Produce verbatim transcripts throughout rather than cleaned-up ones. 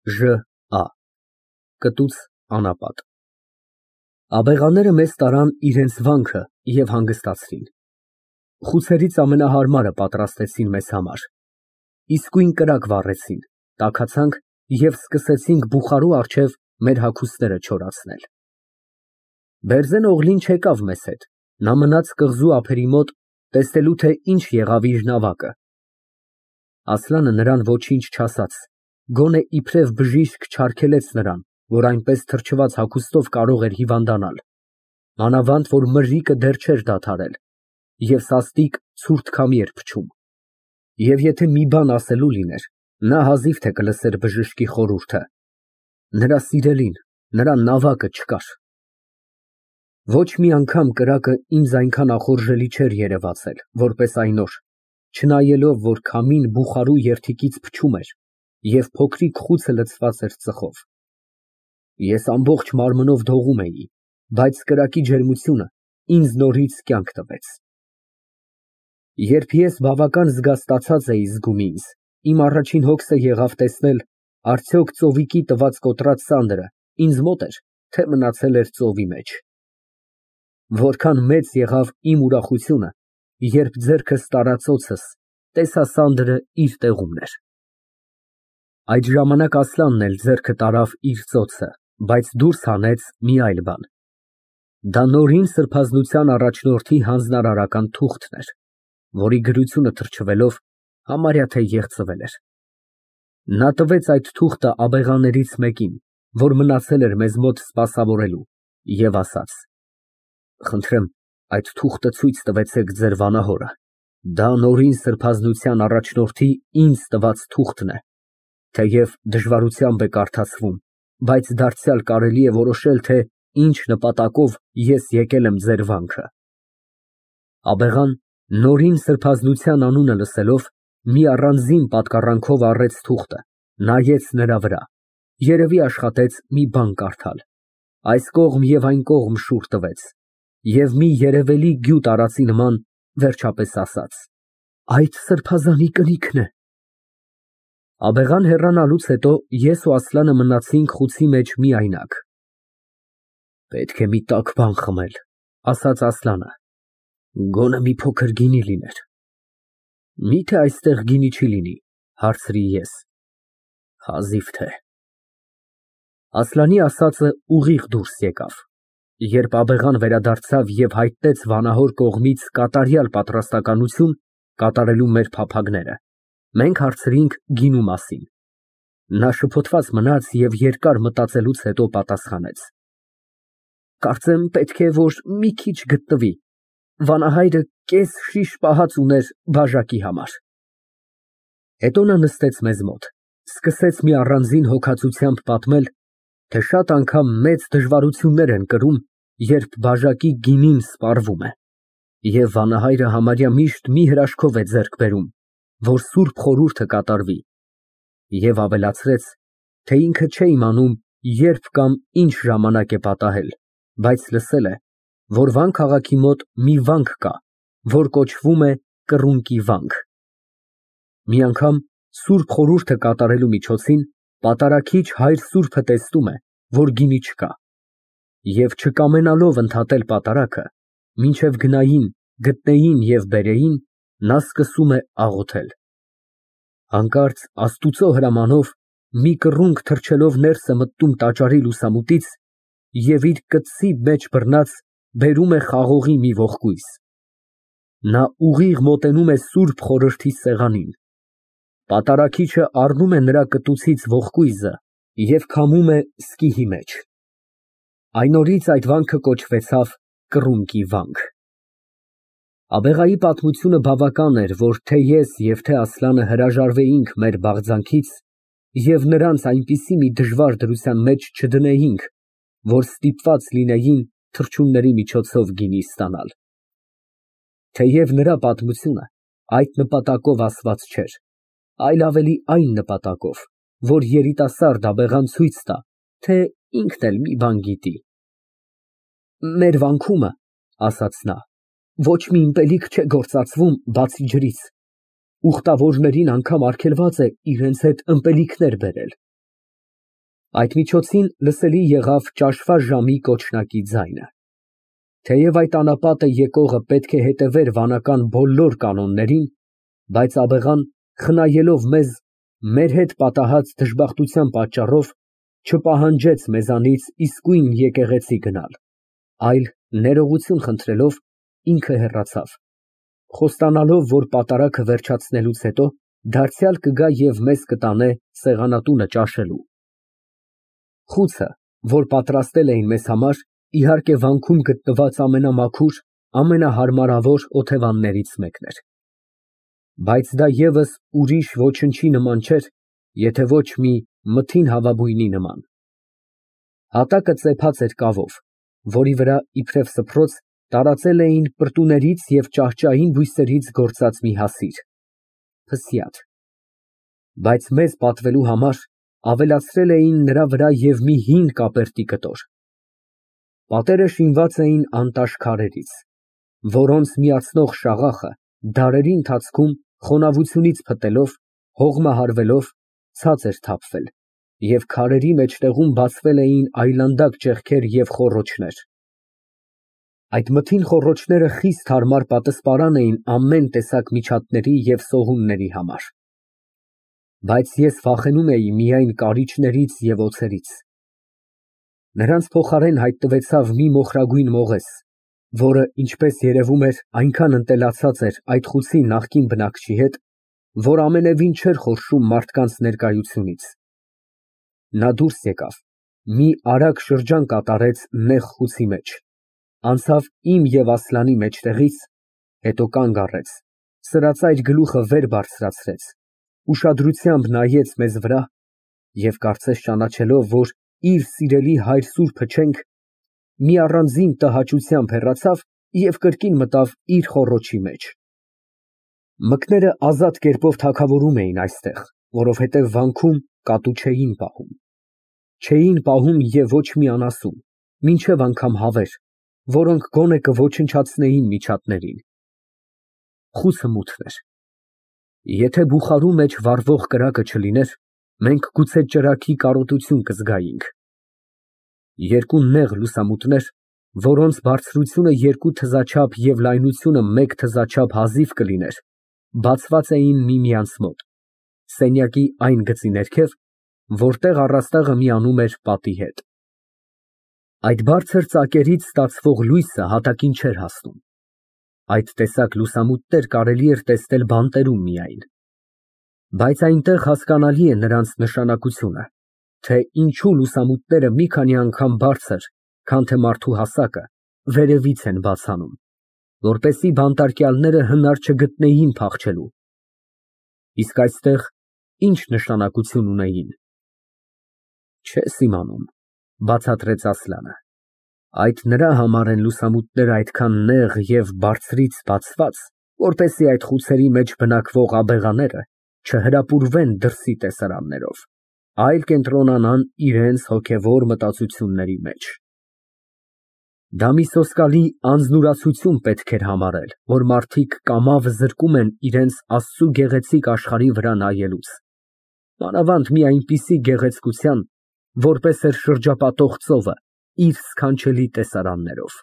Ժ Ա Կտուց անապատ Աբեղաները մեզ տարան իրենց վանքը և հանգստացրին։ Խուցերից ամենահարմարը պատրաստեցին մեզ համար, իսկույն կրակ վառեցին, տաքացանք և սկսեցինք բուխարու առջև մեր հագուստները չորացնել։ Բերձեն Օղլին չեկավ մեզ հետ, նա մնաց կղզու ափերի մոտ, տեսնելու թե ինչ եղավ իր նավակը։ Ասլանը նրան ոչինչ չասաց, գոնե իբրև բժիշկ չարգելեց նրան, որ այնպես թրջված հագուստով կարող էր հիվանդանալ, մանավանդ որ մրրիկը դեռ չէր դադարել և սաստիկ ցուրտ քամի էր փչում, և եթե մի բան ասելու լիներ, նա հազիվ թե կլսեր բժշկի խորհուրդը, նրա սիրելին, նրա նավակը չկար։ Ոչ մի անգամ կրակը ինձ այնքան ախորժելի չէր երևացել, որպես այն օր, չնայելով, որ քամին բուխարու երդիքից փչում էր և փոքրիկ խուցը լցված էր ծխով։ Ես ամբողջ մարմնով դողում էի, բայց կրակի ջերմությունը ինձ նորից կյանք տվեց։ Երբ ես բավական զգաստացած էի զգում ինձ, իմ առաջին հոգսը եղավ տեսնել, արդյոք ծովիկի տված կոտրած սանդը ինձ մոտ էր, թե մնացել էր ծովի մեջ։ Որքան մեծ եղավ իմ ուրախությունը, երբ ձեռքս տարածոցս տեսա սանդը իր տեղումն էր։ Այդ ժամանակ Ասլանն էլ ձեռքը տարավ իր ծոցը, բայց դուրս հանեց մի այլ բան։ Դա նորին սրբազնության առաջնորդի հանձնարարական թուղթն էր, որի գրությունը թրջվելով համարյա թե եղցվել էր։ Նա տվեց այդ թուղթը աբեղաներից մեկին, որ մնացել էր մեզ մոտ սպասավորելու, և ասաց. «Խնդրեմ, այդ թուղթը ցույց տվեցեք ձեր վանահորը, դա նորին սրբազնության առաջնորդի ինձ տված թուղթն է, թեև դժվարությամբ է կարդացվում, բայց դարձյալ կարելի է որոշել, թե ինչ նպատակով ես եկել եմ ձեր վանքը»։ Աբեղան, նորին սրբազնության անունը լսելով, մի առանձին պատկառանքով առեց թուղթը, նայեց նրա վրա, երևի աշխատեց մի բան կարդալ, այս կողմ և այն կողմ շուռ տվեց և մի երևելի գյուտ արածի նման վերջապես ասաց. «Այդ սրբազանի կնիքն է»։ Աբեղան հեռանալուց հետո ես ու Ասլանը մնացինք խուցի մեջ միայնակ։ «Պետք է մի տաք բան խմել», ֊ ասաց Ասլանը, ֊ «գոնե մի փոքր գինի լիներ»։ «Մի՞թե այստեղ գինի չի լինի», ֊ հարցրի ես։ «Հազիվ թե»։ Ասլանի ասածը ուղիղ դուրս եկավ։ Երբ աբեղան վերադարձավ և հայտնեց վանահոր կողմից կատարյալ պատրաստակամություն կատարելու մեր փափագները, մենք հարցրինք գինու մասին։ Նա շփոթված մնաց և երկար մտածելուց հետո պատասխանեց. «Կարծեմ պետք է որ մի քիչ գտնվի, վանահայրը կես շիշ պահած ուներ բաժակի համար»։ Հետո նա նստեց մեզ մոտ, սկսեց մի առանձին հոգածությամբ պատմել, թե շատ անգամ մեծ դժվարություններ են կրում, երբ բաժակի գինին սպառվում է, և վանահայրը համարյա միշտ մի հրաշքով է ձեռք բերում, որ սուրբ խորհուրդը կատարվի, և ավելացրեց, թե ինքը չէ իմանում երբ կամ ինչ ժամանակ է պատահել, բայց լսել է, որ Վան քաղաքի մոտ մի վանք կա, որ կոչվում է Կռունկի վանք։ Մի անգամ սուրբ խորհուրդը կատարելու միջոցին պատարագիչ հայր սուրբը տեսնում է, որ գինի չկա, և չկամենալով ընդհատել պատարագը, մինչև գնային, գտնեին և բերեին, նա սկսում է աղոթել։ Հանկարծ Աստուծո հրամանով մի կռունկ թռչելով ներս է մտնում տաճարի լուսամուտից և իր կծի մեջ բռնած բերում է խաղողի մի ողկույզ։ Նա ուղիղ մոտենում է սուրբ խորհրդի սեղանին։ Պատարագիչը առնում է նրա կտուցից ողկույզը և քամում է սկիհի մեջ։ Այն օրից այդ վանքը կոչվեցավ Կռունկի վանք։ Աբեղայի պատմությունը բավական էր, որ թե ես և թե Ասլանը հրաժարվեինք մեր բաղձանքից և նրանց այնպիսի մի դժվար դրության մեջ չդնեինք, որ ստիպված լինեին թռչունների միջոցով գինի ստանալ։ Թեև նրա պատմությունը այդ նպատակով ասված չէր, այլ ավելի այն նպատակով, որ երիտասարդ աբեղան ցույց տա, թե ինքն էլ մի բան գիտի։ «Մեր վանքումը, ֊ ասաց նա, ֊ ոչ մի ըմպելիք չէ գործածվում, բացի ջրից, ուխտավորներին անգամ արգելված է իրենց հետ ըմպելիքներ բերել։ Այդ միջոցին լսելի եղավ ճաշվա ժամի կոչնակի ձայնը։ Թեև այդ անապատը եկողը պետք է հետևեր վանական բոլոր կանոններին, բայց աբեղան, խնայելով մեզ մեր հետ պատահած դժբախտության պատճառով, չպահանջեց մեզանից իսկույն եկեղեցի գնալ, այլ ներողություն խնդրելով ինքը հեռացավ, խոստանալով, որ պատարագը վերջացնելուց հետո դարձյալ կգա և մեզ կտանե սեղանատունը ճաշելու։ Խուցը, որ պատրաստել էին մեզ համար, իհարկե վանքում գտնված ամենամաքուր, ամենահարմարավոր օթևաններից մեկն էր, բայց դա ևս ուրիշ ոչնչի նման չէր, եթե ոչ մի մթին հավաբույնի նման։ Հատակը ծեփած էր կավով, որի վրա, իբրև սփռոց, տարածել էին պրտուներից և ճահճային բույսերից գործած մի հասիր (փսյաթ), բայց մեզ պատվելու համար ավելացրել էին նրա վրա և մի հին կապերտի կտոր։ Պատերը շինված էին անտաշ քարերից, որոնց միացնող շաղախը դարերի ընթացքում խոնավությունից փտելով, հողմահարվելով, ցած էր թափվել, և քարերի մեջտեղում բացվել էին այլանդակ ճեղքեր և խոռոչներ։ Այդ մթին խոռոչները խիստ հարմար պատսպարան էին ամեն տեսակ միջատների և սողունների համար, բայց ես վախենում էի միայն կարիճներից և օձերից։ Նրանց փոխարեն հայտնվեցավ մի մոխրագույն մողես, որը, ինչպես երևում էր, այնքան ընտելացած էր այդ խուցի նախկին բնակչի հետ, որ ամենևին չէր խորշում մարդկանց ներկայությունից։ Նա դուրս եկավ, մի արագ շրջան կատարեց նեղ խուցի մեջ, անցավ իմ և Ասլանի մեջտեղից, հետո կանգ առեց, սրածայր գլուխը վեր բարձրացրեց, ուշադրությամբ նայեց մեզ վրա և, կարծես ճանաչելով, որ իր սիրելի հայր սուրբը չենք, մի առանձին տհաճությամբ հեռացավ և կրկին մտավ իր խոռոչի մեջ։ Մկները ազատ կերպով թագավորում էին այստեղ, որովհետև վանքում կատու չէին պահում։ Չէին պահում և ոչ մի անասուն, մինչև անգամ հավեր, որոնք գոնե կոչնչացնեին միջատներին։ Խուցը մութն էր։ Եթե բուխարու մեջ վառվող կրակը չլիներ, մենք գուցե ճրագի կարոտություն կզգայինք։ Երկու նեղ լուսամուտներ, որոնց բարձրությունը երկու թզաչափ և լայնությունը մեկ թզաչափ հազիվ կլիներ, բացված էին միմյանց մոտ, սենյակի այն գծի ներքև, որտեղ առաստաղը միանում էր պատի հետ։ Այդ բարձր ծակերից ստացվող լույսը հատակին չէր հասնում։ Այդ տեսակ լուսամուտներ կարելի էր տեսնել բանտերում միայն, բայց այնտեղ հասկանալի է նրանց նշանակությունը, թե ինչու լուսամուտները մի քանի անգամ բարձր, քան թե մարդու հասակը, վերևից են բաց անում, որպեսզի բանտարկյալները հնար չգտնեին փախչելու։ Իսկ այստեղ ի՞նչ նշանակություն ունեին։ Չես իմանում, բացատրեց Ասլանը, այդ նրա համար են լուսամուտները այդքան նեղ և բարձրից բացված, որպեսզի այդ խուցերի մեջ բնակվող աբեղաները չհրապուրվեն դրսի տեսարաններով, այլ կենտրոնանան իրենց հոգևոր մտածությունների մեջ։ Դա մի սոսկալի անձնուրացություն պետք էր համարել, որ մարդիկ կամավ զրկում են իրենց Աստծու գեղեցիկ աշխարհի վրա նայելուց, մանավանդ մի այնպիսի գեղեցկության, որպես էր շրջապատող ծովը իր սքանչելի տեսարաններով։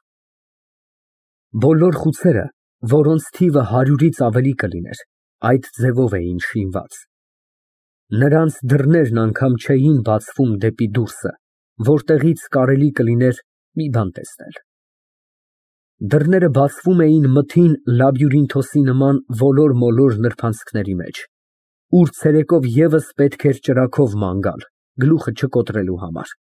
Բոլոր խուցերը, որոնց թիվը հարյուրից ավելի կլիներ, այդ ձևով էին շինված։ Նրանց դռներն անգամ չէին բացվում դեպի դուրսը, որտեղից կարելի կլիներ մի բան տեսնել։ Դռները բացվում էին մթին լաբյուրինթոսի նման ոլոր֊մոլոր նրբանցքների մեջ, ուր ցերեկով ևս պետք էր ճրագով ման գալ, գլուխը չկոտրելու համար։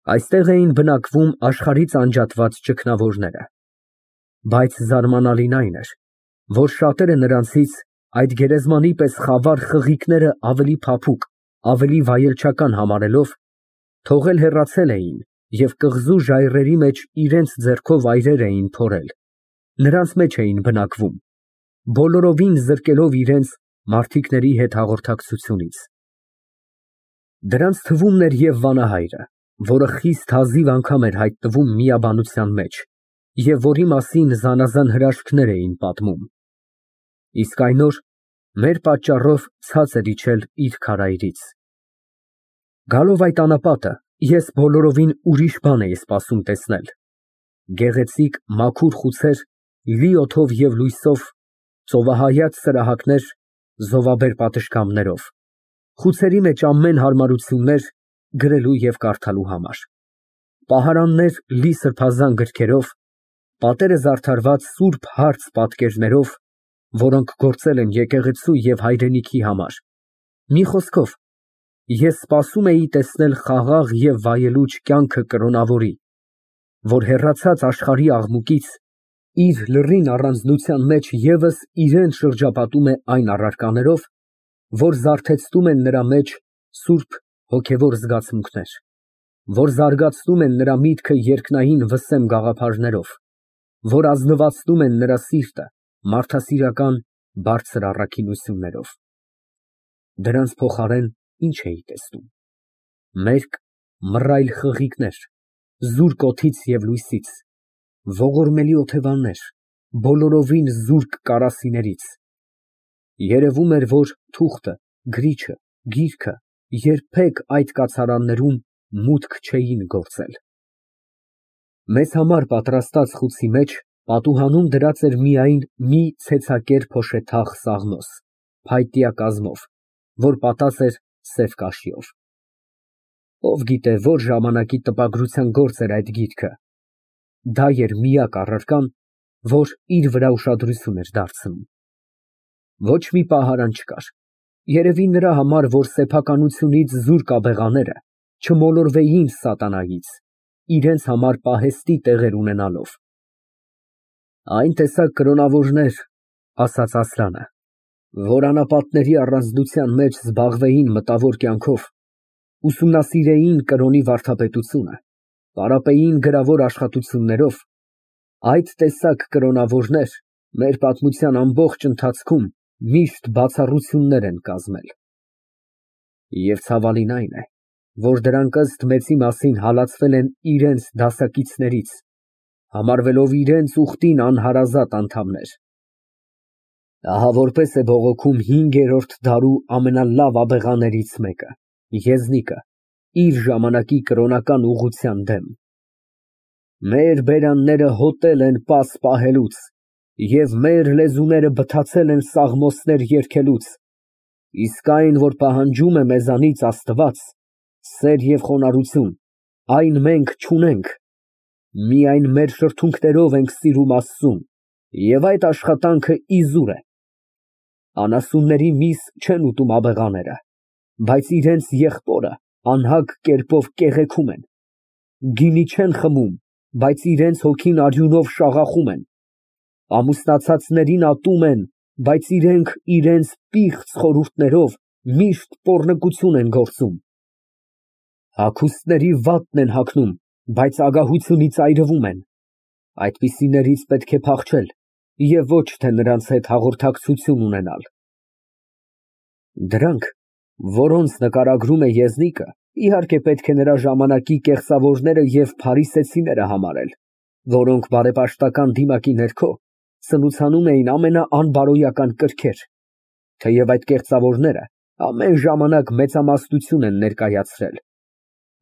Այստեղ էին բնակվում աշխարհից անջատված ճգնավորները, բայց զարմանալին այն էր, որ շատերը նրանցից այդ գերեզմանի պես խավար խղիկները ավելի փափուկ, ավելի վայելչական համարելով, թողել հեռացել էին և կղզու ժայռերի մեջ իրենց ձեռքով այրեր էին փորել, նրանց մեջ էին բնակվում, բոլորովին զրկելով իրենց մարդիկների հետ հաղորդակցությունից։ Դրանց թվում էր և վանահայրը, որը խիստ հազիվ անգամ էր հայտնվում միաբանության մեջ և որի մասին զանազան հրաշքներ էին պատմում։ Իսկ այն օր մեր պատճառով ցած էր իջել իր քարայրից։ Գալով այդ անապատը, ես բոլորովին ուրիշ բան էի սպասում տեսնել. գեղեցիկ մաքուր խուցեր, լի օդով և լույսով, ծովահայաց սրահակներ, զովաբեր պատշգամբներով, խուցերի մեջ ամեն հարմարություններ գրելու և կարդալու համար, պահարաններ լի սրբազան գրքերով, պատերը զարդարված սուրբ հարց պատկերներով, որոնք գործել են եկեղեցու և հայրենիքի համար, մի խոսքով, ես սպասում էի տեսնել խաղաղ և վայելուչ կյանքը կրոնավորի, որ հեռացած աշխարհի աղմուկից, իր լռին առանձնության մեջ ևս իրան շրջապատում է այն առարկաներով, որ զարթեցնում են նրա մեջ սուրբ հոգևոր զգացմունքներ, որ զարգացնում են նրա միտքը երկնային վսեմ գաղափարներով, որ ազնվացնում են նրա սիրտը մարդասիրական բարձր առաքինություններով։ Դրանց փոխարեն ի՞նչ էի տեսնում։ Մերկ, մռայլ խղիկներ, զուրկ օդից և լույսից, ողորմելի օթևաններ, բոլորովին զուրկ կարասիներից։ Երևում էր, որ թուղթը, գրիչը, գիրքը երբեք այդ կացարաններում մուտք չէին գործել։ Մեզ համար պատրաստած խուցի մեջ պատուհանում դրած էր միայն մի ցեցակեր փոշեթաղ սաղմոս, փայտյա կազմով, որ պատած էր սև կաշիով։ Ով գիտե, որ ժամանակի տպագրության գործ էր այդ գիրքը։ Դա էր միակ առարկան, որ իր վրա ուշադրություն էր դարձնում։ Ոչ մի պահարան չկար, երևի նրա համար, որ սեփականությունից զուրկ աբեղաները չմոլորվեին սատանայից, իրենց համար պահեստի տեղեր ունենալով։ Այն տեսակ կրոնավորներ, ասաց Ասլանը, որ անապատների առանձնության մեջ զբաղվեին մտավոր կյանքով, ուսումնասիրեին կրոնի վարդապետությունը, պարապեին գրավոր աշխատություններով, այդ տեսակ կրոնավորներ մեր պատմության ամբողջ ընթացքում միշտ բացառություններ են կազմել։ Եվ ցավալին այն է, որ դրանք ըստ մեծի մասին հալածվել են իրենց դասակիցներից, համարվելով իրենց ուխտին անհարազատ անդամներ։ Ահա որպես է բողոքում հինգերորդ դարու ամենալավ աբեղաներից մեկը, Եզնիկը, իր ժամանակի կրոնական ուղղության դեմ. մեր բերանները հոտել են պաս պահելուց, և մեր լեզուները բթացել են սաղմոսներ երգելուց, իսկ այն, որ պահանջում է մեզանից Աստված, սեր և խոնարհություն, այն մենք չունենք, միայն մեր շրթունքներով ենք սիրում Աստծուն, և այդ աշխատանքը իզուր է։ Անասունների միս չեն ուտում աբեղաները, բայց իրենց եղբորը անհագ կերպով կեղեքում են, գինի չեն խմում, բայց իրենց հոգին արյունով շաղախում են, ամուսնացածներին ատում են, բայց իրենք իրենց պիղծ խորհուրդներով միշտ պոռնկություն են գործում, հագուստների վատն են հագնում, բայց ագահությունից այրվում են, այդպիսիներից պետք է փախչել և ոչ թե նրանց հետ հաղորդակցություն ունենալ։ Դրանք, որոնց նկարագրում է Եզնիկը, իհարկե պետք է նրա ժամանակի կեղծավորները և փարիսեցիները համարել, որոնք բարեպաշտական դիմակի ներքո սնուցանում էին ամենաանբարոյական կրքեր, թեև այդ կեղծավորները ամեն ժամանակ մեծամասնություն են ներկայացրել,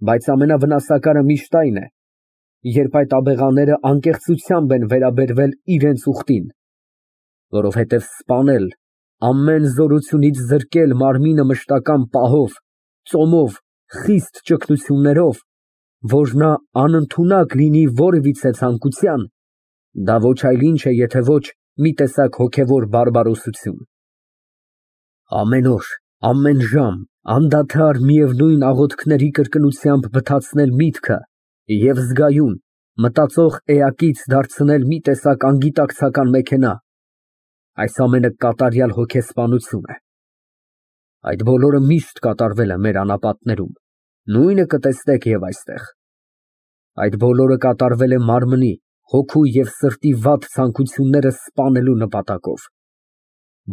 բայց ամենավնասակարը միշտ այն է, երբ այդ աբեղաները անկեղծությամբ են վերաբերվել իրենց ուխտին, որովհետև սպանել, ամեն զորությունից զրկել մարմինը մշտական պահով, ծոմով, խիստ ճգնություններով, որ նա անընդունակ լինի որևիցե ցանկության, դա ոչ այլ ինչ է, եթե ոչ մի տեսակ հոգևոր բարբարոսություն։ Ամեն օր, ամեն ժամ, անդադար միևնույն աղոթքների կրկնությամբ բթացնել միտքը և զգայուն, մտածող էակից դարձնել մի տեսակ անգիտակցական մեքենա, այս ամենը կատարյալ հոգեսպանություն է։ Այդ բոլորը միշտ կատարվել է մեր անապատներում, նույնը կտեսնեք և այստեղ։ Այդ բոլորը կատարվել է մարմնի, հոգու և սրտի վատ ցանկությունները սպանելու նպատակով։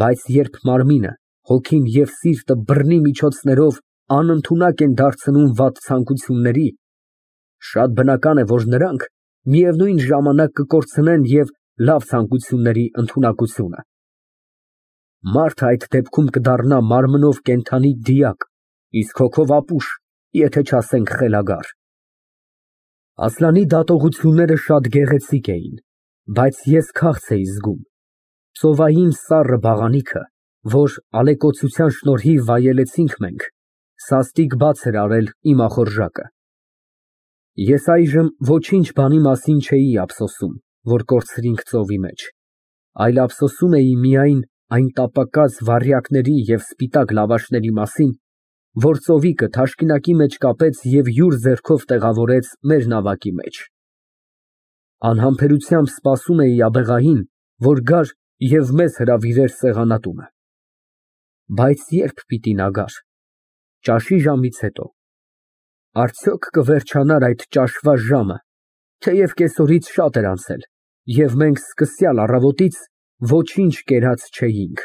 Բայց երբ մարմինը, հոգին և սիրտը բռնի միջոցներով անընդունակ են դարձնում վատ ցանկությունների, շատ բնական է, որ նրանք միևնույն ժամանակ կկորցնեն և լավ ցանկությունների ընդունակությունը։ Մարդը այդ դեպքում կդառնա մարմնով կենդանի դիակ, իսկ հոգով ապուշ, եթե չասենք խելագար։ Ասլանի դատողությունները շատ գեղեցիկ էին, բայց ես քաղց էի զգում։ Ծովային սառը բաղանիքը, որ ալեկոծության շնորհիվ վայելեցինք մենք, սաստիկ բաց էր արել իմ ախորժակը։ Ես այժմ ոչինչ բանի մասին չէի ափսոսում, որ կորցրինք ծովի մեջ, այլ ափսոսում էի միայն այն տապակած վառյակների և սպիտակ լավաշների մասին, որ ծովիկը թաշկինակի մեջ կապեց և յուր ձեռքով տեղավորեց մեր նավակի մեջ։ Անհամբերությամբ սպասում էի աբեղային, որ գար և մեզ հրավիրեր սեղանատունը։ Բայց ե՞րբ պիտի նա գար։ Ճաշի ժամից հետո։ Արդյոք կվերջանար այդ ճաշվա ժամը, թեև կեսօրից շատ էր անցել, և մենք սկսյալ առավոտից ոչինչ կերած չէինք։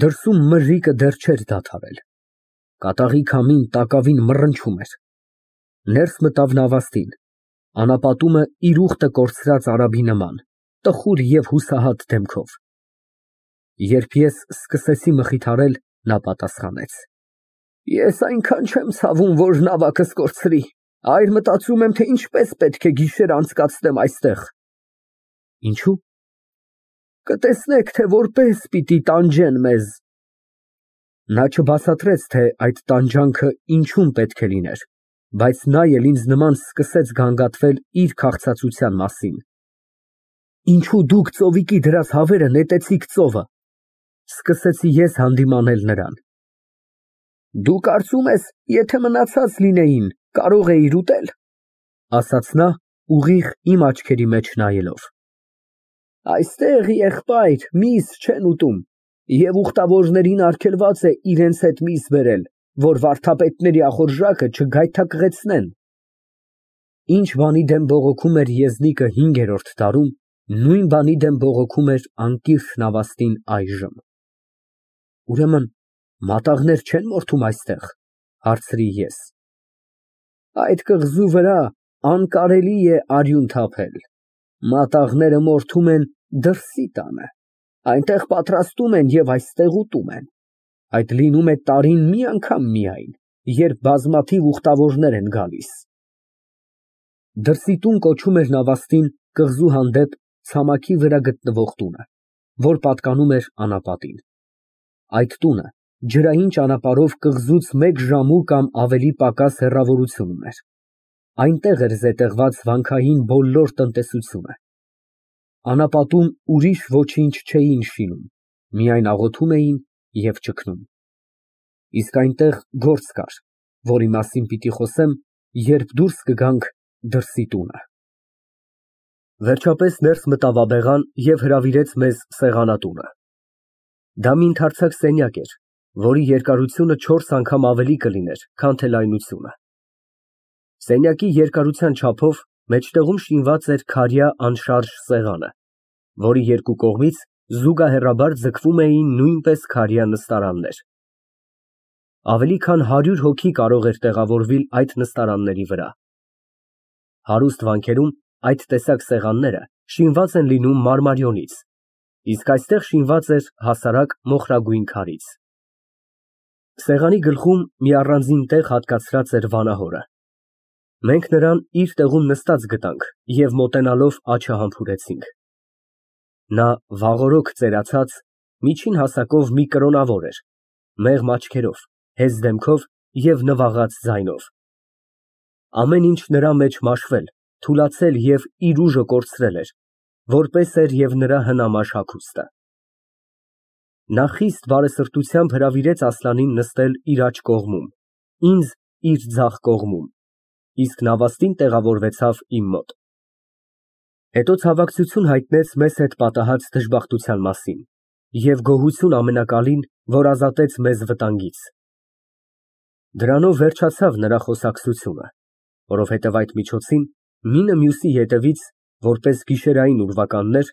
Դրսում մրրիկը դեռ չէր դադարել։ Կատաղի քամին տակավին մռնչում էր։ Ներս մտավ նավաստին, անապատումը իր ուխտը կորցրած արաբի նման, տխուր և հուսահատ դեմքով։ Երբ ես սկսեցի մխիթարել, նա պատասխանեց. Ես այնքան չեմ ցավում, որ նավակս կորցրի, այլ մտածում եմ, թե ինչպես պետք է գիշեր անցկացնեմ այստեղ։ Ինչո՞ւ։ Կտեսնեք, թե որպես պիտի տանջեն մեզ։ Նա չբացատրեց, թե այդ տանջանքը ինչում պետք է լիներ, բայց նա էլ ինձ նման սկսեց գանգատվել իր քաղցածության մասին։ Ինչո՞ւ դուք ծովիկի դրած հավերը նետեցիք ծովը։ Սկսեցի ես հանդիմանել նրան։ Դու կարծում ես, եթե մնացած լինեին, կարող էիր ուտել, ասաց նա, ուղիղ իմ աչքերի մեջ նայելով։ Այստեղ, եղբայր, միս չեն ուտում, և ուխտավորներին արգելված է իրենց հետ միս բերել, որ վարդապետների ախորժակը չգայթակղեցնեն։ Ինչ բանի դեմ բողոքում էր եզնիկը հինգերորդ դարում, նույն բանի դեմ բողոքում էր անկիրք նավաստին այժմ։ Ուրեմն մատաղներ չեն մորթում այստեղ, հարցրի ես։ Այդ կղզու վրա անկարելի է արյուն թափել, մատաղները մորթում են դրսի տանը, այնտեղ պատրաստում են և այստեղ ուտում են, այդ լինում է տարին մի անգամ միայն, երբ բազմաթիվ ուխտավորներ են գալիս։ Դրսի տուն կոչում էր նավաստին կղզու հանդեպ ցամաքի վրա գտնվող տունը, որ պատկանում էր անապատին։ Այդ տունը ջրային ճանապարհով կղզուց մեկ ժամու կամ ավելի պակաս հեռավորություն ուներ։ Այնտեղ էր զետեղված վանքային բոլոր տնտեսությունը։ Անապատում ուրիշ ոչինչ չէին շինում, միայն աղոթում էին և ճգնում։ Իսկ այնտեղ գործ կար, որի մասին պիտի խոսեմ, երբ դուրս կգանք դրսի տունը։ Վերջապես ներս մտավ աբեղան և հրավիրեց մեզ սեղանատունը։ Դա մի ընդարձակ սենյակ էր, որի երկարությունը չորս անգամ ավելի կլիներ, քան թե լայնությունը։ Սենյակի երկարության չափով մեջտեղում շինված էր քարյա անշարժ սեղանը, որի երկու կողմից զուգահեռաբար ձգվում էին նույնպես քարյա նստարաններ։ Ավելի քան հարյուր հոգի կարող էր տեղավորվել այդ նստարանների վրա։ Հարուստ վանքերում այդ տեսակ սեղանները շինված են լինում մարմարիոնից, իսկ այստեղ շինված էր հասարակ մոխրագույն քարից։ Սեղանի գլխում մի առանձին տեղ հատկացրած էր վանահորը։ Մենք նրան իր տեղում նստած գտանք և մոտենալով աջը համբուրեցինք։ Նա վաղօրոք ծերացած, միջին հասակով մի կրոնավոր էր, մեղմ աչքերով, հեզ դեմքով և նվաղած ձայնով։ Ամեն ինչ նրա մեջ մաշվել, թուլացել և իր ուժը կորցրել էր, որպես էր և նրա հնամաշ հագուստը։ Նա խիստ բարեսրտությամբ հրավիրեց Ասլանին նստել իր աջ կողմում, ինձ իր ձախ կողմում, իսկ նավաստին տեղավորվեցավ իմ մոտ։ Հետո ցավակցություն հայտնեց մեզ հետ պատահած դժբախտության մասին և գոհություն ամենակալին, որ ազատեց մեզ վտանգից։ Դրանով վերջացավ նրա խոսակցությունը, որովհետև այդ միջոցին մինը մյուսի ետևից, որպես գիշերային ուրվականներ,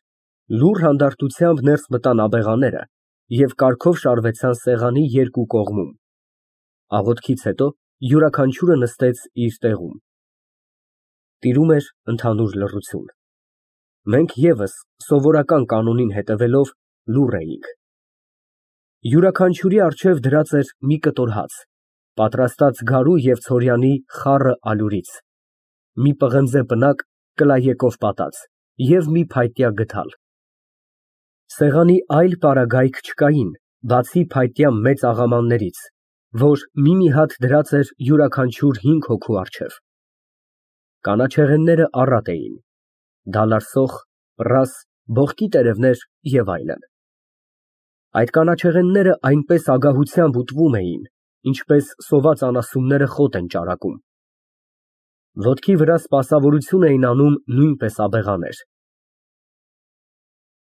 լուռ հանդարտությամբ ներս մտան աբեղաները և կարգով շարվեցան սեղանի երկու կողմում։ Աղոթքից հետո յուրաքանչյուրը նստեց իր տեղում։ Տիրում էր ընդհանուր լռություն։ Մենք ևս սովորական կանոնին հետևելով լուռ էինք։ Յուրաքանչյուրի առջև դրած էր մի կտոր հաց, Պատրաստած գարու և ցորյանի խառը ալյուրից, մի պղնձե պնակ կլայեկով պատած և մի փայտյա գդալ։ Սեղանի այլ պարագայք չկային, բացի փայտյա մեծ աղամաններից, որ մի֊մի հատ դրած էր յուրաքանչյուր հինգ հոգու առջև։ Կանաչեղենները առատ էին, դալար֊սոխ, պռաս, բողկի տերևներ և այլն։ Այդ կանաչեղենները այնպես ագահությամբ ուտվում էին, ինչպես սոված անասունները խոտ են ճարակում։ Ոտքի վրա սպասավորություն էին անում նույնպես աբեղաներ։